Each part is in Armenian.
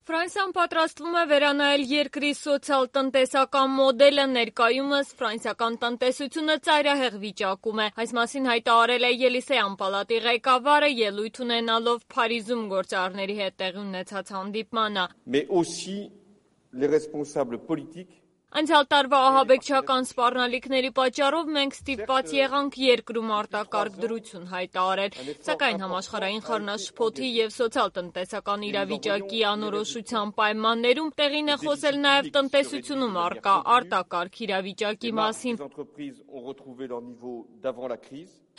Ֆրանսիան պատրաստվում է վերանայել երկրի սոցիալ-տնտեսական մոդելը, ներկայումս ֆրանսիական տնտեսությունը ծայրահեղ վիճակում է։ Այս մասին հայտարարել է Ելիսեյան պալատի ղեկավարը, ելույթ ունենալով Փարիզում գործարարների հետ տեղի ունեցած հանդիպմանը։ Անցյալ տարվա ահաբեկչական սպառնալիքների պատճառով մենք ստիպված եղանք երկրում արտակարգ դրություն հայտարարել, սակայն համաշխարհային խառնաշփոթի և սոցիալ-տնտեսական իրավիճակի անորոշության պայմաններում տեղին է խոսել նաև տնտեսությունում առկա արտակարգ իրավիճակի մասին,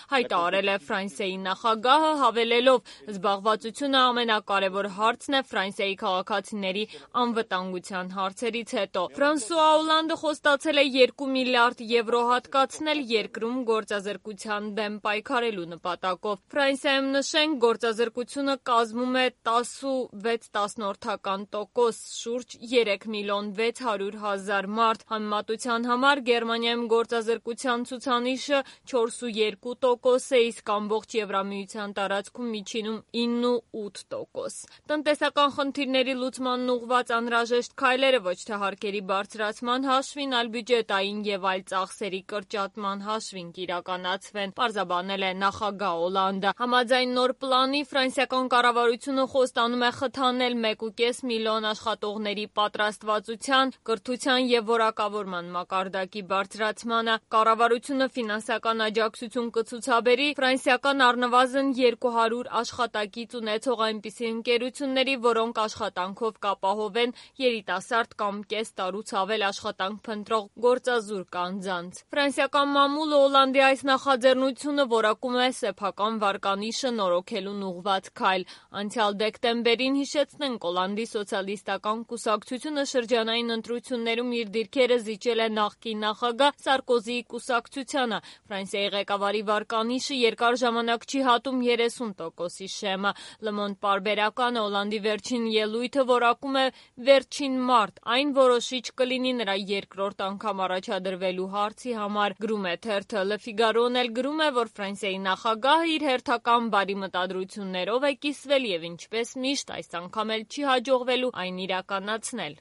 հայտարարել է Ֆրանսիայի նախագահը, հավելելով՝ զբաղվածությունը ամենակարևոր հարցն է Ֆրանսիայի քաղաքացիների անվտանգության հարցերից հետո։ Ֆրանսուଆ Օլանդը խոստացել է 2 միլիարդ եվրո հատկացնել երկրում գործազրկության դեմ պայքարելու նպատակով։ Ֆրանսիայում նշենք, գործազրկությունը կազմում է 10,6%, շուրջ 3 միլիոն 600 հազար մարդ։ Համեմատության համար Գերմանիայում գործազրկության ցուցանիշը 4,2% է, իսկ ամբողջ Եվրամիության տարածքում միջինում 9,8%։ Տնտեսական խնդիրների լուծմանն ուղղված անհրաժեշտ քայլերը ոչ թե հարկերի բարձրացման հաշվին, այլ բյուջետային և այլ ծախսերի կրճատման հաշվին կիրականացվեն, պարզաբանել է նախագահ Օլանդը։ Համաձայն նոր պլանի ֆրանսիական կառավարությունը խոստանում է խթանել 1,5 միլիոն աշխատողների պատրաստվածության, կրթության և որակավորման մակարդակի բարձրացմանը։ Կառավարությունը ֆինանսական աջակցություն կցուցաբերի ֆրանսիական առնվազն 200 աշխատակից ունեցող այնպիսի ընկերությունների, որոնք աշխատանքով կապահովեն երիտասարդ կամ կես տարուց ավել աշխատանք փնտրող գործազուրկ անձանց։ Ֆրանսիական մամուլը Օլանդի այս նախաձեռնությունը որակում է սեփական վարկանիշը նորոգելուն ուղղված քայլ։ Անցյալ դեկտեմբերին, հիշեցնենք, Օլանդի սոցիալիստական կուսակցությունը շրջանային ընտրություններում իր դիրքերը զիջել է նախկին նախագահ Սարկոզիի կուսակցությանը։ Ֆրանսիայի ղեկավարի վարկանիշը երկար ժամանակ չի հատում 30%-ի շեմը։ Le Monde պարբերականը Օլանդի վերջին ելույթը որակում է վերջին մարտ, այն որոշիչ կլինի նրա երկրորդ անգամ առաջադրվելու հարցի համար, գրում է թերթը։ Le Figaro-ն էլ գրում է, որ Ֆրանսիայի նախագահը իր հերթական բարի մտադրություններով է կիսվել և ինչպես միշտ այս անգամ էլ չի հաջողվելու այն իրականացնել։